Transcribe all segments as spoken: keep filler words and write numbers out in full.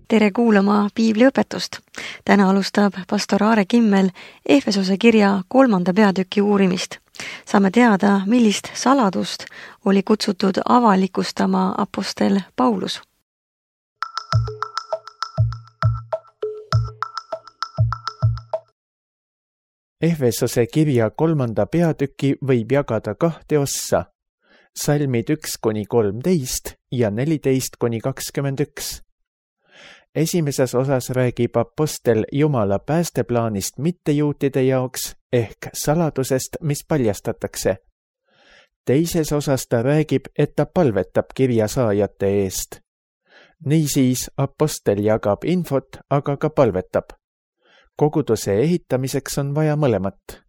Tere kuulama piibliõpetust. Täna alustab pastor Aare Kimmel Efesose kirja kolmanda peatüki uurimist. Saame teada, millist saladust oli kutsutud avalikustama apostel Paulus. Efesose kirja kolmanda peatüki võib jagada kahte ossa, salmid üks kuni kolmteist ja neliteist kuni kakskümmend üks. Esimeses osas räägib apostel Jumala päästeplaanist mittejuutide jaoks ehk saladusest, mis paljastatakse. Teises osas ta räägib, et ta palvetab kirjasaajate eest. Niisiis apostel jagab infot, aga ka palvetab. Koguduse ehitamiseks on vaja mõlemat.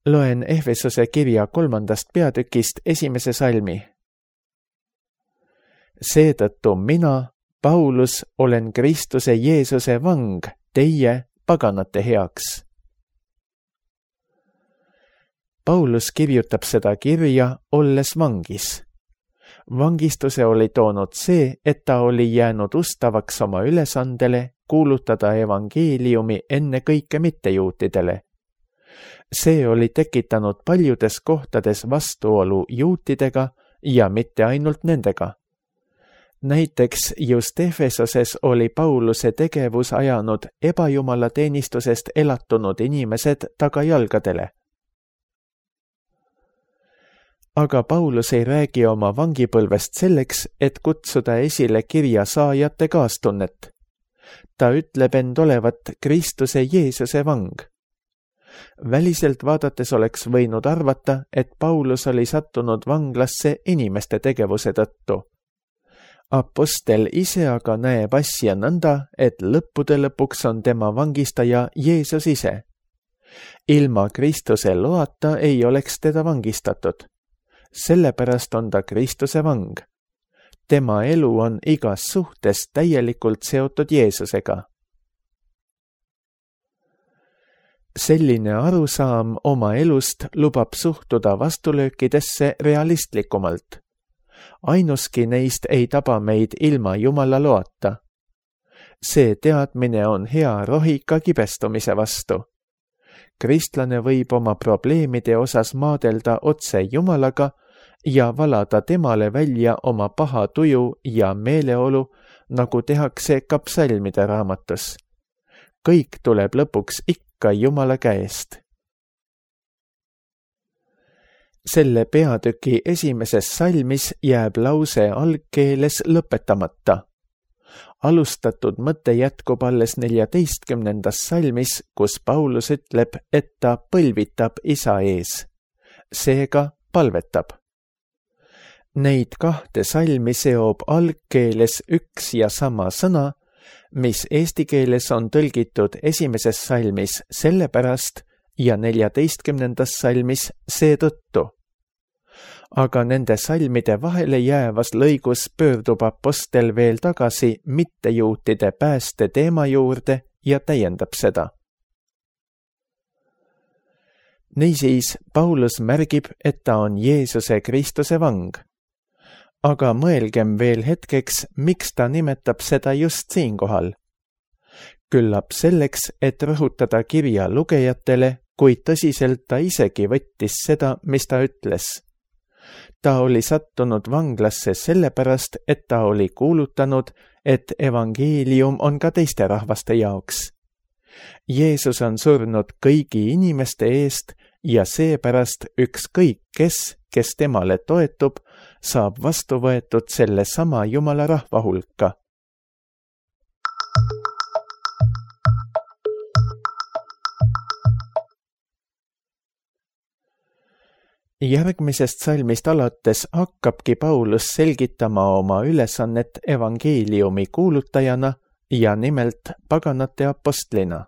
Loen Efesose kirja kolmandast peatükist esimese salmi. Seetõttu mina, Paulus, olen Kristuse Jeesuse vang teie paganate heaks. Paulus kirjutab seda kirja, olles vangis. Vangistuse oli toonud see, et ta oli jäänud ustavaks oma ülesandele kuulutada evangeeliumi enne kõike mittejuutidele. See oli tekitanud paljudes kohtades vastuolu juutidega ja mitte ainult nendega. Näiteks just Efesoses oli Pauluse tegevus ajanud ebajumala teenistusest elatunud inimesed tagajalgadele. Aga Paulus ei räägi oma vangipõlvest selleks, et kutsuda esile kirja saajate kaastunnet. Ta ütleb end olevat Kristuse Jeesuse vang. Väliselt vaadates oleks võinud arvata, et Paulus oli sattunud vanglasse inimeste tegevuse tõttu. Apostel ise aga näeb asja nõnda, et lõppude lõpuks on tema vangistaja Jeesus ise. Ilma Kristuse loata ei oleks teda vangistatud. Sellepärast on ta Kristuse vang. Tema elu on igas suhtes täielikult seotud Jeesusega. Selline arusaam oma elust lubab suhtuda vastulöökidesse realistlikumalt. Ainuski neist ei taba meid ilma Jumala loata. See teadmine on hea rohi ka kibestumise vastu. Kristlane võib oma probleemide osas maadelda otse Jumalaga ja valada temale välja oma paha tuju ja meeleolu, nagu tehakse ka psalmide raamatus. Kõik tuleb lõpuks ikka Jumala käest. Selle peatüki esimeses salmis jääb lause algkeeles lõpetamata. Alustatud mõte jätkub alles neljateistkümnendas salmis, kus Paulus ütleb, et ta põlvitab isa ees. Seega palvetab. Neid kahte salmi seob algkeeles üks ja sama sõna, mis eesti keeles on tõlgitud esimeses salmis sellepärast ja neljateistkümnendas salmis seetõttu. Aga nende salmide vahele jäävas lõigus pöördub apostel veel tagasi mittejuutide pääste teema juurde ja täiendab seda. Niisiis, Paulus märgib, et ta on Jeesuse Kristuse vang. Aga mõelgem veel hetkeks, miks ta nimetab seda just siinkohal. Küllap selleks, et rõhutada kirja lugejatele, kui tõsiselt ta isegi võttis seda, mis ta ütles. Ta oli sattunud vanglasse sellepärast, et ta oli kuulutanud, et evangeelium on ka teiste rahvaste jaoks. Jeesus on surnud kõigi inimeste eest ja seepärast ükskõik kes, kes temale toetub, saab vastu võetud selle sama Jumala rahva hulka. Järgmisest salmist alates hakkabki Paulus selgitama oma ülesannet evangeeliumi kuulutajana ja nimelt paganate apostlina.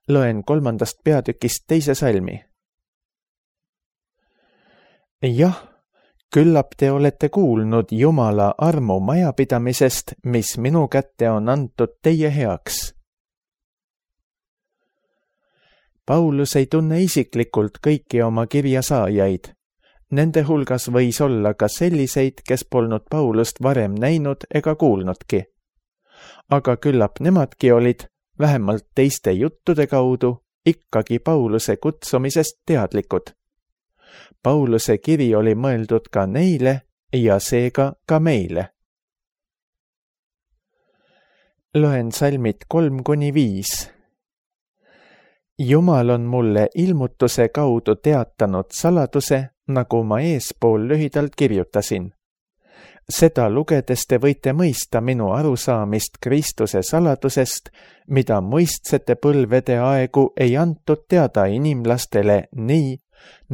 Loen kolmandast peatükist teise salmi. Jah, küllap te olete kuulnud Jumala armu majapidamisest, mis minu kätte on antud teie heaks. Paulus ei tunne isiklikult kõiki oma kirjasaajaid. Nende hulgas võis olla ka selliseid, kes polnud Paulust varem näinud ega kuulnudki. Aga küllap nemadki olid, vähemalt teiste juttude kaudu, ikkagi Pauluse kutsumisest teadlikud. Pauluse kiri oli mõeldud ka neile ja seega ka meile. Loen salmid kolm kuni viis. Jumal on mulle ilmutuse kaudu teatanud saladuse, nagu ma eespool lühidalt kirjutasin. Seda lugedes te võite mõista minu arusaamist Kristuse saladusest, mida muistsete põlvede aegu ei antud teada inimlastele nii,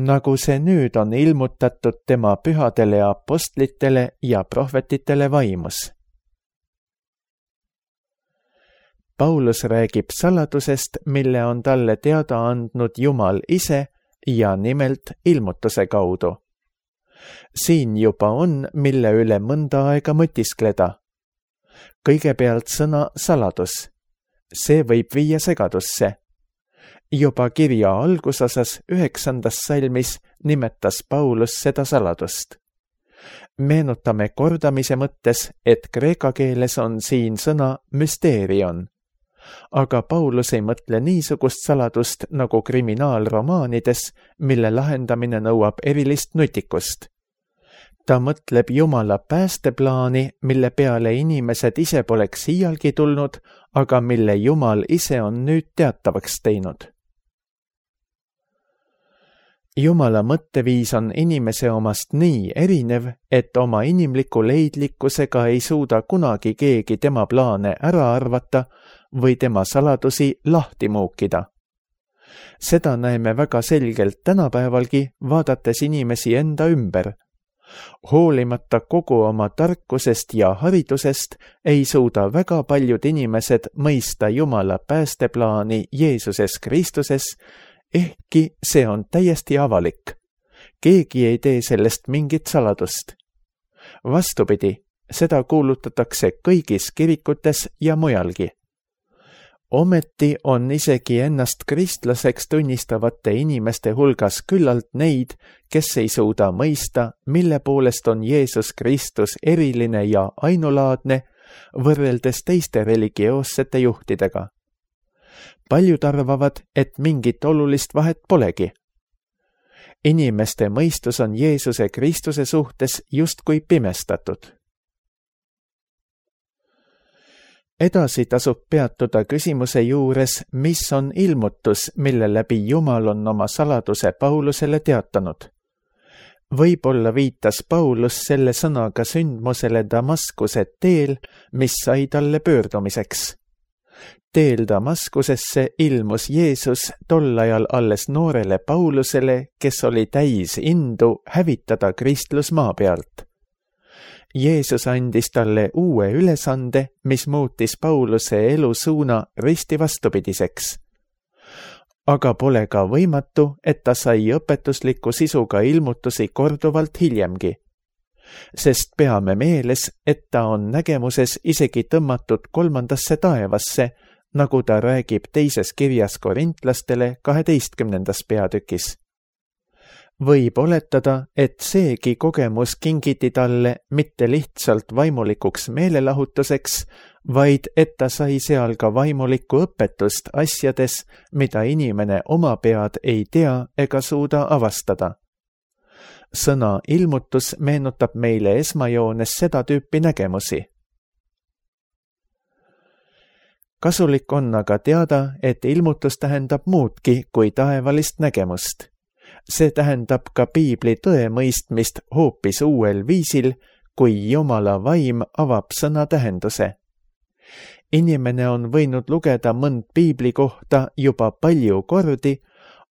nagu see nüüd on ilmutatud tema pühadele apostlitele ja prohvetitele vaimus. Paulus räägib saladusest, mille on talle teada andnud Jumal ise ja nimelt ilmutuse kaudu. Siin juba on, mille üle mõnda aega mõtiskleda. Kõigepealt sõna saladus. See võib viia segadusse. Juba kirja algusosas üheksandas salmis nimetas Paulus seda saladust. Meenutame kordamise mõttes, et kreeka keeles on siin sõna müsteerion. Aga Paulus ei mõtle niisugust saladust nagu kriminaalromaanides, mille lahendamine nõuab erilist nutikust. Ta mõtleb Jumala päästeplaani, mille peale inimesed ise poleks iialgi tulnud, aga mille Jumal ise on nüüd teatavaks teinud. Jumala mõtteviis on inimese omast nii erinev, et oma inimliku leidlikkusega ei suuda kunagi keegi tema plaane ära arvata või tema saladusi lahti muukida. Seda näeme väga selgelt tänapäevalgi, vaadates inimesi enda ümber. Hoolimata kogu oma tarkusest ja haridusest ei suuda väga paljud inimesed mõista Jumala päästeplaani Jeesuses Kristuses, ehkki see on täiesti avalik. Keegi ei tee sellest mingit saladust. Vastupidi, seda kuulutatakse kõigis kirikutes ja mujalgi. Ometi on isegi ennast kristlaseks tunnistavate inimeste hulgas küllalt neid, kes ei suuda mõista, mille poolest on Jeesus Kristus eriline ja ainulaadne võrreldes teiste religioossete juhtidega. Paljud arvavad, et mingit olulist vahet polegi. Inimeste mõistus on Jeesuse Kristuse suhtes justkui pimestatud. Edasi tasub peatuda küsimuse juures, mis on ilmutus, mille läbi Jumal on oma saladuse Paulusele teatanud. Võib-olla viitas Paulus selle sõnaga sündmusele Damaskuse teel, mis sai talle pöördumiseks. Teel Damaskusesse ilmus Jeesus tol ajal alles noorele Paulusele, kes oli täis indu hävitada kristlus maa pealt. Jeesus andis talle uue ülesande, mis muutis Pauluse elusuuna risti vastupidiseks. Aga pole ka võimatu, et ta sai õpetusliku sisuga ilmutusi korduvalt hiljemgi. Sest peame meeles, et ta on nägemuses isegi tõmmatud kolmandasse taevasse, nagu ta räägib teises kirjas korintlastele kaheteistkümnendas peatükis. Võib oletada, et seegi kogemus kingiti talle mitte lihtsalt vaimulikuks meelelahutuseks, vaid et ta sai seal ka vaimulikku õpetust asjades, mida inimene oma pead ei tea ega suuda avastada. Sõna ilmutus meenutab meile esmajoones seda tüüpi nägemusi. Kasulik on aga teada, et ilmutus tähendab muudki kui taevalist nägemust. See tähendab ka piibli tõe mõistmist hoopis uuel viisil, kui Jumala vaim avab sõna tähenduse. Inimene on võinud lugeda mõnd piibli kohta juba palju kordi,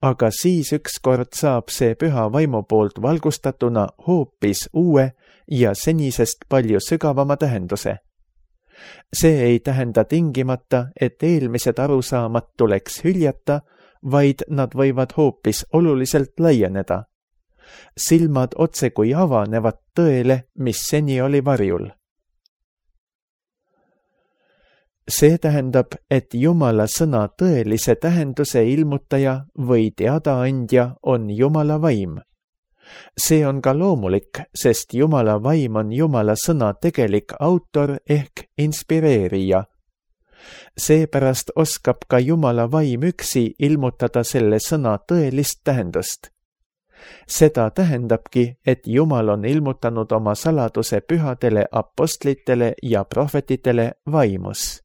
aga siis ükskord saab see püha vaimu poolt valgustatuna hoopis uue ja senisest palju sügavama tähenduse. See ei tähenda tingimata, et eelmised arusaamad tuleks hüljata, vaid nad võivad hoopis oluliselt laieneda. Silmad otse kui avanevad tõele, mis seni oli varjul. See tähendab, et Jumala sõna tõelise tähenduse ilmutaja või teadaandja on Jumala vaim. See on ka loomulik, sest Jumala vaim on Jumala sõna tegelik autor ehk inspireerija. Seepärast oskab ka Jumala vaim üksi ilmutada selle sõna tõelist tähendust. Seda tähendabki, et Jumal on ilmutanud oma saladuse pühadele apostlitele ja prohvetitele vaimus.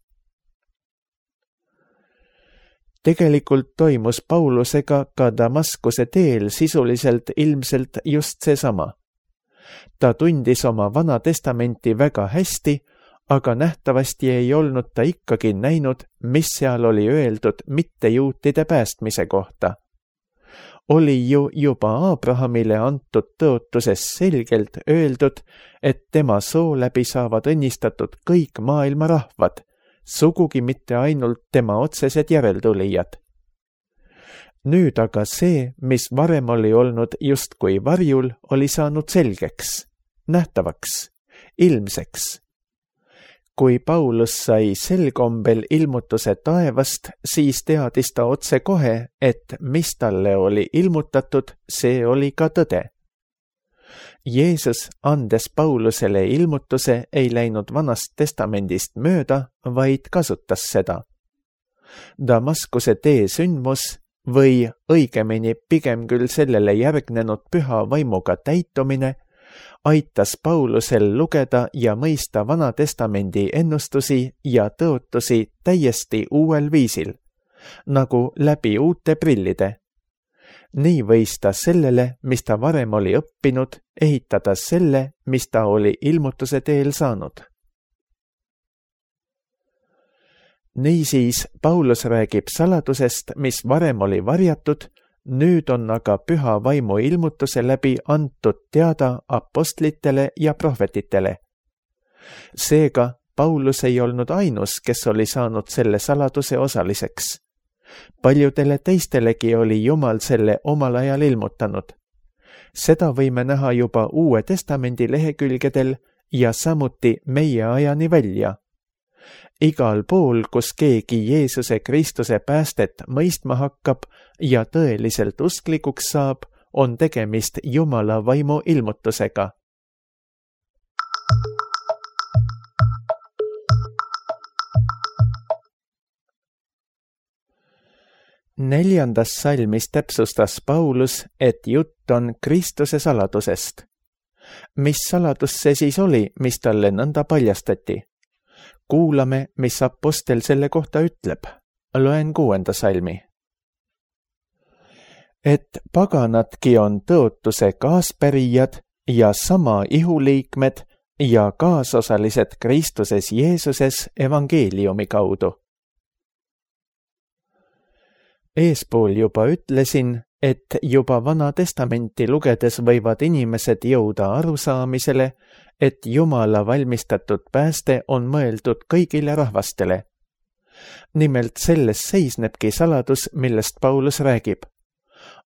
Tegelikult toimus Paulusega ka Damaskuse teel sisuliselt ilmselt just seesama. Ta tundis oma Vana Testamenti väga hästi, aga nähtavasti ei olnud ta ikkagi näinud, mis seal oli öeldud mittejuutide päästmise kohta. Oli ju juba Abrahamile antud tõotuses selgelt öeldud, et tema soo läbi saavad õnnistatud kõik maailma rahvad, sugugi mitte ainult tema otsesed järeltulijad. Nüüd aga see, mis varem oli olnud justkui varjul, oli saanud selgeks, nähtavaks, ilmseks. Kui Paulus sai sel kombel ilmutuse taevast, siis teadis ta otse kohe, et mis talle oli ilmutatud, see oli ka tõde. Jeesus, andes Paulusele ilmutuse, ei läinud Vanast Testamendist mööda, vaid kasutas seda. Damaskuse tee sündmus või õigemini pigem küll sellele järgnenud püha vaimuga täitumine aitas Paulusel lugeda ja mõista Vana Testamendi ennustusi ja tõotusi täiesti uuel viisil, nagu läbi uute prillide. Nii võis ta sellele, mis ta varem oli õppinud, ehitada selle, mis ta oli ilmutuse teel saanud. Niisiis Paulus räägib saladusest, mis varem oli varjatud, nüüd on aga püha vaimu ilmutuse läbi antud teada apostlitele ja prohvetitele. Seega Paulus ei olnud ainus, kes oli saanud selle saladuse osaliseks. Paljudele teistelegi oli Jumal selle omal ajal ilmutanud. Seda võime näha juba Uue Testamendi lehekülgedel ja samuti meie ajani välja. Igal pool, kus keegi Jeesuse Kristuse päästet mõistma hakkab ja tõeliselt usklikuks saab, on tegemist Jumala vaimu ilmutusega. Neljandas salmis täpsustas Paulus, et jutt on Kristuse saladusest. Mis saladus see siis oli, mis talle nõnda paljastati? Kuulame, mis apostel selle kohta ütleb. Loen kuuenda salmi. Et paganadki on tõotuse kaaspärijad ja sama ihuliikmed ja kaasosalised Kristuses Jeesuses evangeeliumi kaudu. Eespool juba ütlesin, et juba Vana Testamenti lugedes võivad inimesed jõuda arusaamisele, et Jumala valmistatud pääste on mõeldud kõigile rahvastele. Nimelt selles seisnebki saladus, millest Paulus räägib.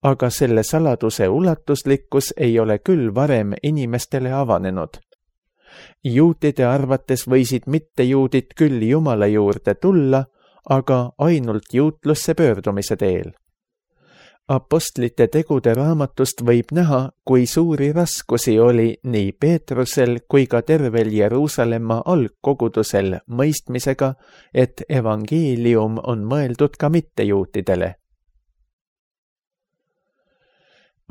Aga selle saladuse ulatuslikkus ei ole küll varem inimestele avanenud. Juutide arvates võisid mittejuudid küll Jumala juurde tulla, aga ainult juutlusse pöördumise teel. Apostlite tegude raamatust võib näha, kui suuri raskusi oli nii Peetrusel kui ka tervel Jeruusalemma algkogudusel mõistmisega, et evangeelium on mõeldud ka mittejuutidele.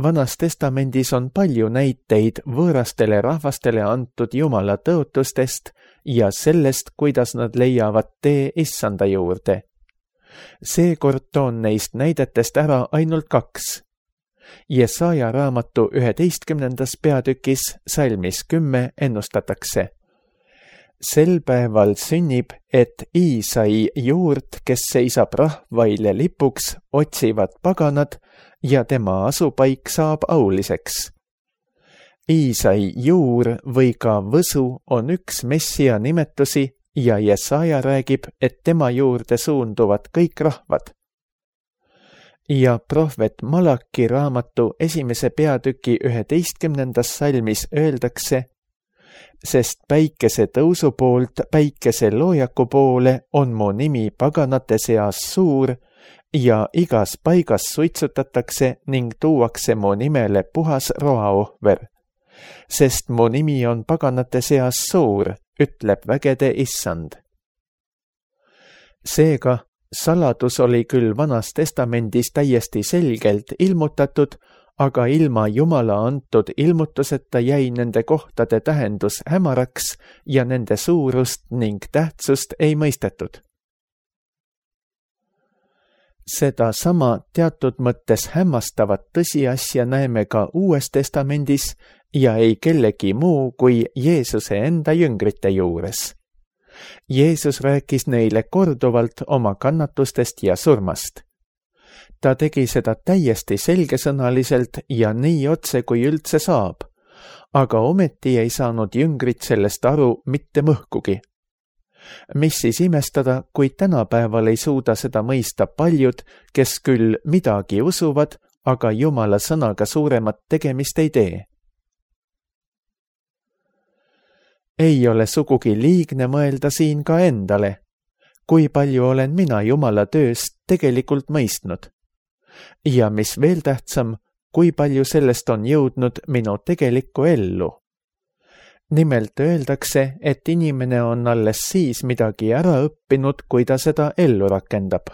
Vanas Testamendis on palju näiteid võõrastele rahvastele antud Jumala tõotustest ja sellest, kuidas nad leiavad tee Issanda juurde. Seekord toon neist näidetest ära ainult kaks. Jesaja raamatu üheteistkümnendas peatükis salmis kümme ennustatakse. Sel päeval sünnib, et Iisai juurt, kes seisab rahvaile lipuks, otsivad paganad ja tema asupaik saab auliseks. Iisai juur või ka võsu on üks messia nimetusi ja Jesaja räägib, et tema juurde suunduvad kõik rahvad. Ja prohvet Malaki raamatu esimese peatüki üheteistkümnendas salmis öeldakse, sest päikese tõusu poolt päikese loojaku poole on mu nimi paganate seas suur ja igas paigas suitsutatakse ning tuuakse mu nimele puhas roaohver, sest mu nimi on paganate seas suur, ütleb vägede issand. Seega, saladus oli küll Vanas Testamendis täiesti selgelt ilmutatud, aga ilma Jumala antud ilmutuseta jäi nende kohtade tähendus hämaraks ja nende suurust ning tähtsust ei mõistetud. Seda sama teatud mõttes hämmastavat tõsiasja näeme ka Uues Testamendis ja ei kellegi muu kui Jeesuse enda jüngrite juures. Jeesus rääkis neile korduvalt oma kannatustest ja surmast. Ta tegi seda täiesti selgesõnaliselt ja nii otse kui üldse saab, aga ometi ei saanud jüngrid sellest aru mitte mõhkugi. Mis siis imestada, kui tänapäeval ei suuda seda mõista paljud, kes küll midagi usuvad, aga Jumala sõnaga suuremat tegemist ei tee. Ei ole sugugi liigne mõelda siin ka endale, kui palju olen mina Jumala tööst tegelikult mõistnud. Ja mis veel tähtsam, kui palju sellest on jõudnud minu tegelikku ellu. Nimelt öeldakse, et inimene on alles siis midagi ära õppinud, kui ta seda ellu rakendab.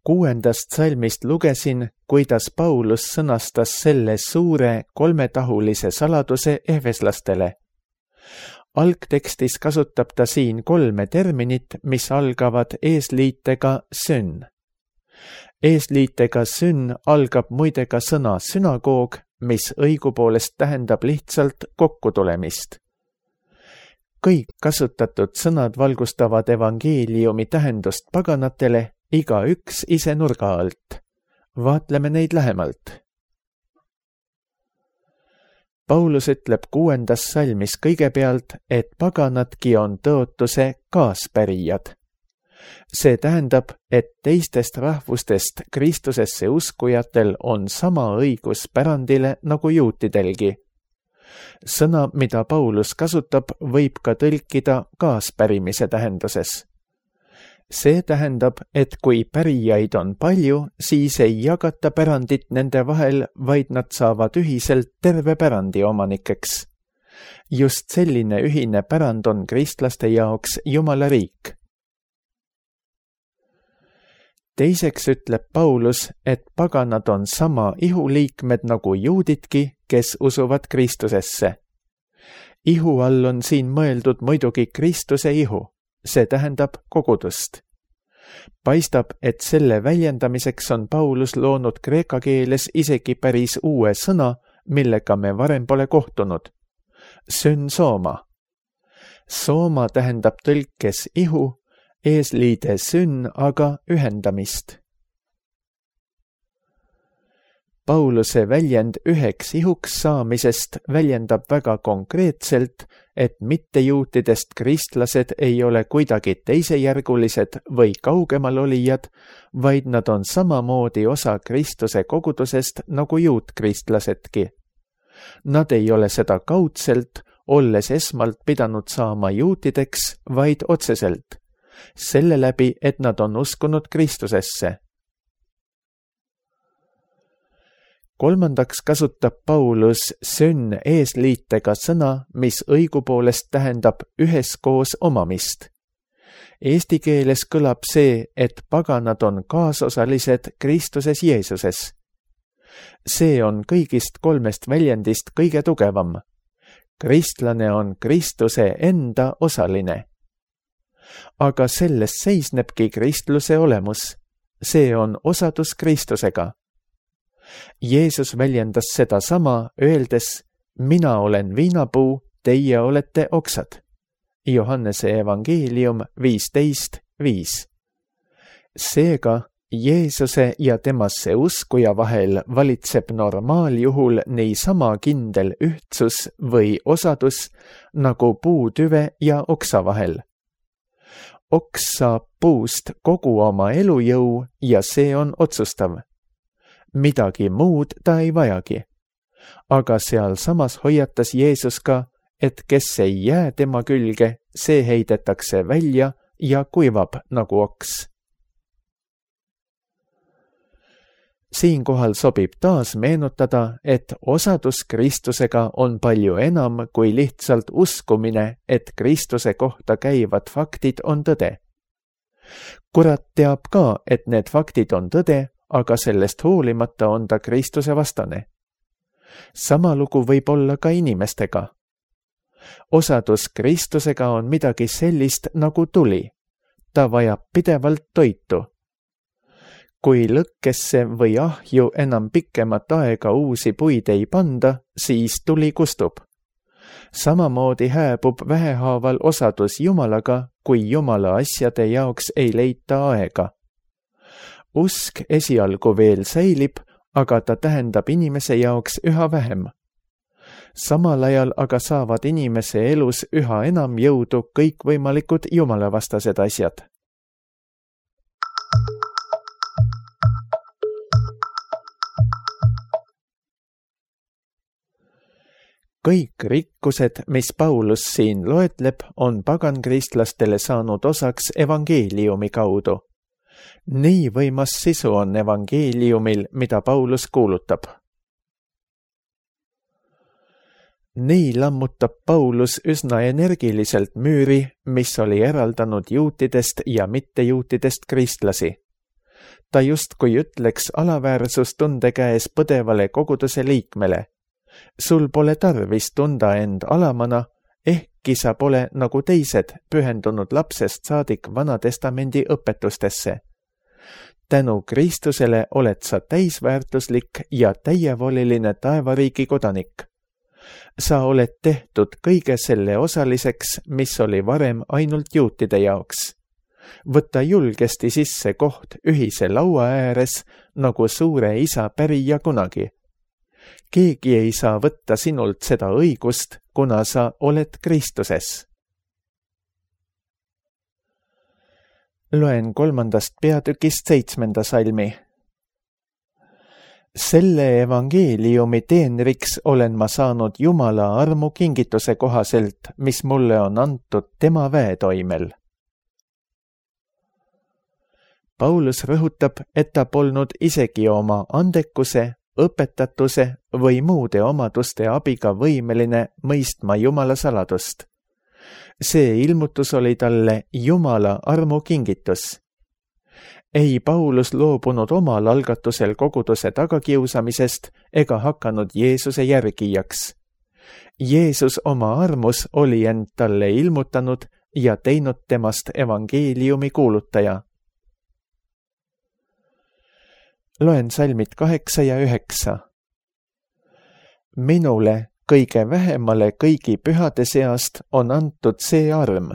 Kuuendast salmist lugesin, kuidas Paulus sõnastas selle suure kolmetahulise saladuse ehveslastele. Algtekstis kasutab ta siin kolme terminit, mis algavad eesliitega sünn. Eesliitega sünn algab muide ka sõna sünagoog, mis õigupoolest tähendab lihtsalt kokkutulemist. Kõik kasutatud sõnad valgustavad evangeeliumi tähendust paganatele, iga üks ise nurga alt. Vaatleme neid lähemalt. Paulus ütleb kuuendas salmis kõigepealt, et paganadki on tõotuse kaaspärijad. See tähendab, et teistest rahvustest Kristusesse uskujatel on sama õigus pärandile nagu juutidelgi. Sõna, mida Paulus kasutab, võib ka tõlkida kaaspärimise tähenduses. See tähendab, et kui pärijaid on palju, siis ei jagata pärandit nende vahel, vaid nad saavad ühiselt terve pärandi omanikeks. Just selline ühine pärand on kristlaste jaoks Jumala riik. Teiseks ütleb Paulus, et paganad on sama ihuliikmed nagu juudidki, kes usuvad Kristusesse. Ihu all on siin mõeldud muidugi Kristuse ihu. See tähendab kogudust. Paistab, et selle väljendamiseks on Paulus loonud kreeka keeles isegi päris uue sõna, millega me varem pole kohtunud. Synsooma. Sooma tähendab tõlkes ihu, eesliide sünn aga ühendamist. Pauluse väljend üheks ihuks saamisest väljendab väga konkreetselt, et mittejuutidest kristlased ei ole kuidagi teisejärgulised või kaugemal olijad, vaid nad on samamoodi osa Kristuse kogudusest nagu juutkristlasedki. Nad ei ole seda kaudselt, olles esmalt pidanud saama juutideks, vaid otseselt, selle läbi, et nad on uskunud Kristusesse. Kolmandaks kasutab Paulus sünn eesliitega sõna, mis õigupoolest tähendab üheskoos omamist. Eesti keeles kõlab see, et paganad on kaasosalised Kristuses Jeesuses. See on kõigist kolmest väljendist kõige tugevam. Kristlane on Kristuse enda osaline. Aga selles seisnebki kristluse olemus. See on osadus Kristusega. Jeesus väljendas seda sama, öeldes, mina olen viinapuu, teie olete oksad. Johannese evangeelium viisteist viis. Seega, Jeesuse ja temasse uskuja vahel valitseb normaaljuhul niisama kindel ühtsus või osadus nagu puutüve ja oksa vahel. Oks saab puust kogu oma elujõu ja see on otsustav. Midagi muud ta ei vajagi. aga sealsamas hoiatas Jeesus ka, et kes ei jää tema külge, see heidetakse välja ja kuivab nagu oks. Siinkohal sobib taas meenutada, et osadus Kristusega on palju enam kui lihtsalt uskumine, et Kristuse kohta käivad faktid on tõde. Kurat teab ka, et need faktid on tõde, aga sellest hoolimata on ta Kristuse vastane. Sama lugu võib olla ka inimestega. Osadus Kristusega on midagi sellist nagu tuli. Ta vajab pidevalt toitu. Kui lõkkesse või ahju enam pikemat aega uusi puid ei panda, siis tuli kustub. Samamoodi hääbub vähehaaval osadus Jumalaga, kui Jumala asjade jaoks ei leita aega. Usk esialgu veel säilib, aga ta tähendab inimese jaoks üha vähem. Samal ajal aga saavad inimese elus üha enam jõudu kõikvõimalikud jumalavastased asjad. Kõik rikkused, mis Paulus siin loetleb, on pagankristlastele saanud osaks evangeeliumi kaudu. Nii võimas sisu on evangeeliumil, mida Paulus kuulutab. Nii lammutab Paulus üsna energiliselt müüri, mis oli eraldanud juutidest ja mittejuutidest kristlasi. Ta justkui ütleks alaväärsustunde käes põdevale koguduse liikmele. Sul pole tarvis tunda end alamana, ehkki sa pole nagu teised pühendunud lapsest saadik Vanatestamendi õpetustesse. Tänu Kristusele oled sa täisväärtuslik ja täievoliline taevariigi kodanik. Sa oled tehtud kõige selle osaliseks, mis oli varem ainult juutide jaoks. Võta julgesti sisse koht ühise laua ääres, nagu suure isa pärija kunagi. Keegi ei saa võtta sinult seda õigust, kuna sa oled Kristuses. Loen kolmandast peatükist seitsmenda salmi. Selle evangeeliumi teenriks olen ma saanud Jumala armu kingituse kohaselt, mis mulle on antud tema väetoimel. Paulus rõhutab, et ta polnud isegi oma andekuse, õpetatuse või muude omaduste abiga võimeline mõistma Jumala saladust. See ilmutus oli talle Jumala armu kingitus. Ei Paulus loobunud omal algatusel koguduse tagakiusamisest ega hakanud Jeesuse järgijaks. Jeesus oma armus oli end talle ilmutanud ja teinud temast evangeeliumi kuulutaja. Loen salmid kaheksa ja üheksa. Minule, kõige vähemale kõigi pühade seast, on antud see arm.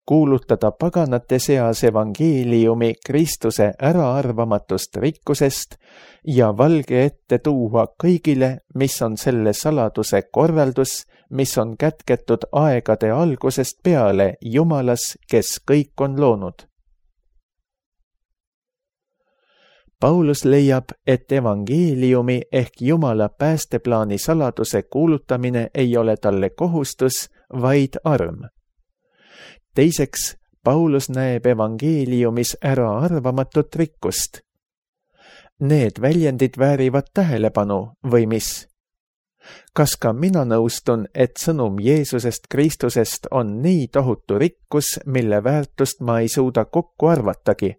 Kuulutada paganate seas evangeeliumi Kristuse äraarvamatust rikkusest ja valge ette tuua kõigile, mis on selle saladuse korraldus, mis on kätketud aegade algusest peale Jumalas, kes kõik on loonud. Paulus leiab, et evangeeliumi ehk Jumala päästeplaani saladuse kuulutamine ei ole talle kohustus, vaid arm. Teiseks, Paulus näeb evangeeliumis äraarvamatut rikkust. Need väljendid väärivad tähelepanu või mis? Kas ka mina nõustun, et sõnum Jeesusest Kristusest on nii tohutu rikkus, mille väärtust ma ei suuda kokku arvatagi?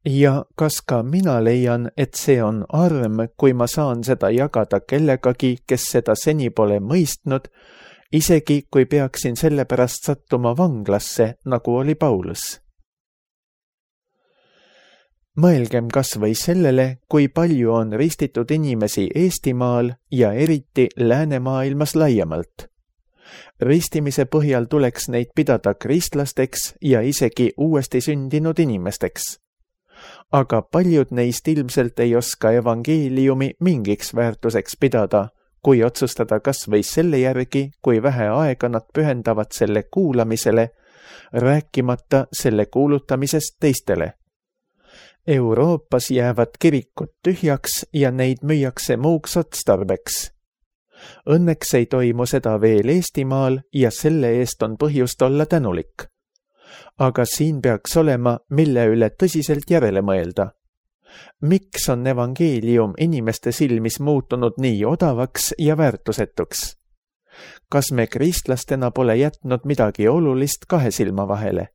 Ja kas ka mina leian, et see on arm, kui ma saan seda jagada kellegagi, kes seda seni pole mõistnud, isegi kui peaksin selle pärast sattuma vanglasse, nagu oli Paulus? Mõelgem kas või sellele, kui palju on ristitud inimesi Eestimaal ja eriti läänemaailmas laiemalt. Ristimise põhjal tuleks neid pidada kristlasteks ja isegi uuesti sündinud inimesteks. Aga paljud neist ilmselt ei oska evangeeliumi mingiks väärtuseks pidada, kui otsustada kas või selle järgi, kui vähe aega nad pühendavad selle kuulamisele, rääkimata selle kuulutamisest teistele. Euroopas jäävad kirikud tühjaks ja neid müüakse muuks otstarbeks. Õnneks ei toimu seda veel Eestimaal ja selle eest on põhjust olla tänulik. Aga siin peaks olema, mille üle tõsiselt järele mõelda. Miks on evangeelium inimeste silmis muutunud nii odavaks ja väärtusetuks? Kas me kristlastena pole jätnud midagi olulist kahe silma vahele?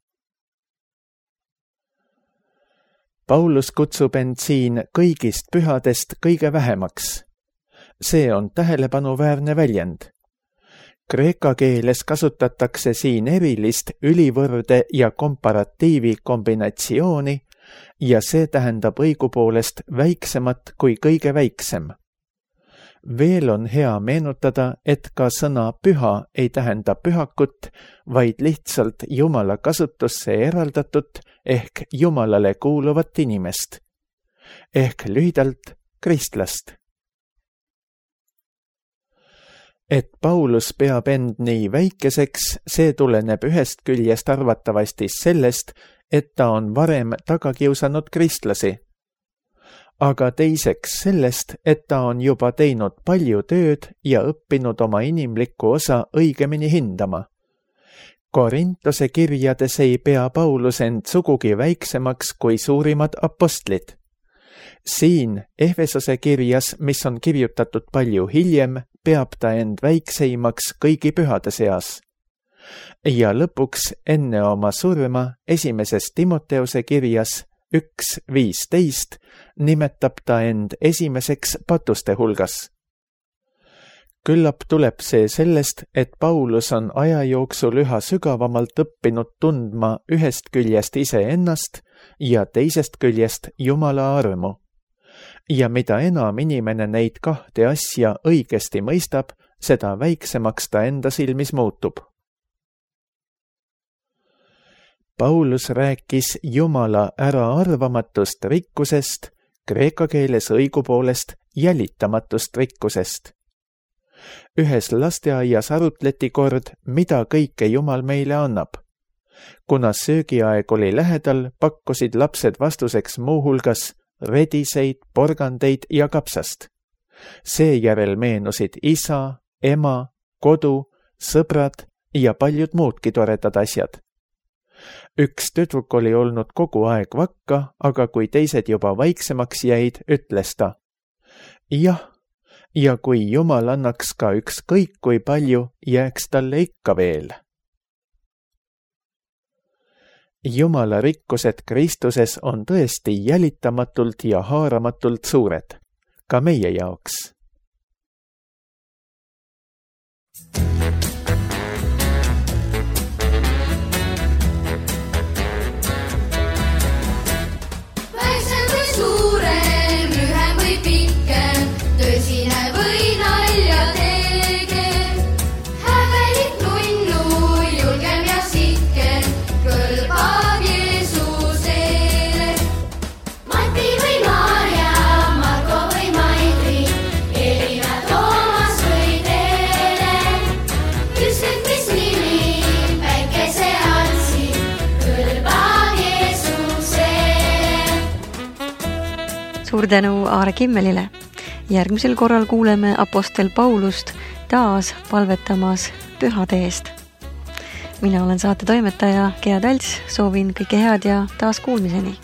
Paulus kutsub end siin kõigist pühadest kõige vähemaks. See on tähelepanuväärne väljend. Kreeka keeles kasutatakse siin erilist ülivõrde ja komparatiivi kombinatsiooni ja see tähendab õigupoolest väiksemat kui kõige väiksem. Veel on hea meenutada, et ka sõna püha ei tähenda pühakut, vaid lihtsalt Jumala kasutusse eraldatut ehk Jumalale kuuluvat inimest. Ehk lühidalt kristlast. Et Paulus peab end nii väikeseks, see tuleneb ühest küljest arvatavasti sellest, et ta on varem taga kiusanud kristlasi. Aga teiseks sellest, et ta on juba teinud palju tööd ja õppinud oma inimlikku osa õigemini hindama. Korintuse kirjades ei pea Paulus end sugugi väiksemaks kui suurimad apostlid. Siin Efesose kirjas, mis on kirjutatud palju hiljem, peab ta end väikseimaks kõigi pühade seas. Ja lõpuks enne oma surma esimeses Timoteuse kirjas üks viisteist nimetab ta end esimeseks patuste hulgas. Küllap tuleb see sellest, et Paulus on aja jooksul üha sügavamalt õppinud tundma ühest küljest iseennast ja teisest küljest Jumala armu. Ja mida enam inimene neid kahte asja õigesti mõistab, seda väiksemaks ta enda silmis muutub. Paulus rääkis Jumala äraarvamatust rikkusest, kreeka keeles õigupoolest jälitamatust rikkusest. Ühes lasteaias arutleti kord, mida kõike Jumal meile annab. Kuna söögiaeg oli lähedal, pakkusid lapsed vastuseks muuhulgas rediseid, porgandeid ja kapsast. Seejärel meenusid isa, ema, kodu, sõbrad ja paljud muudki toredad asjad. Üks tüdruk oli olnud kogu aeg vakka, aga kui teised juba vaiksemaks jäid, ütles ta: jah, ja kui Jumal annaks ka ükskõik kui palju, jääks talle ikka veel. Jumala rikkused Kristuses on tõesti jälitamatult ja haaramatult suured, ka meie jaoks. Väiksem või suurem, lühem või pikem, tõsine või nalja tegev, häbelik nunnu, julgem ja sitkem, kõlbab Jeesusele. Mati või Maarja, Marko või Mairi, Elina, Toomas või Teele, ükskõik mis nimi päikese andsi, kõlbab Jeesusele. Suur tänu Aare Kimmelile. Järgmisel korral kuuleme apostel Paulust taas palvetamas pühade eest. Mina olen saate toimetaja Gea Talts, soovin kõike head ja taas kuulmiseni.